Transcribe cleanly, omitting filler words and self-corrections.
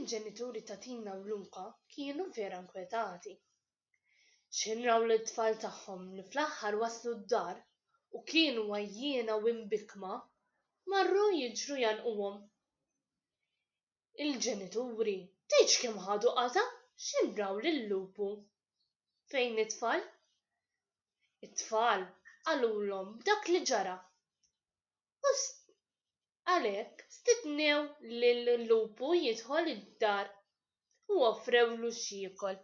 Il-ġenituri ta' Tina u Luca kienu vera nkwetati. X'ħin raw lit-tfal tagħhom li fl-aħħar waslu d-dar u kienu għajjiena u imbikkma, marru jiġru jgħannquhom. Il-ġenituri tgħidx kemm ħadu qatgħa x'ħin raw lil-lupu fejn it-tfal. It-tfal qalulhom b'dak li ġara u għalhekk stidnew lil-lupu jidħol id-dar u offrewlu x'jiekol.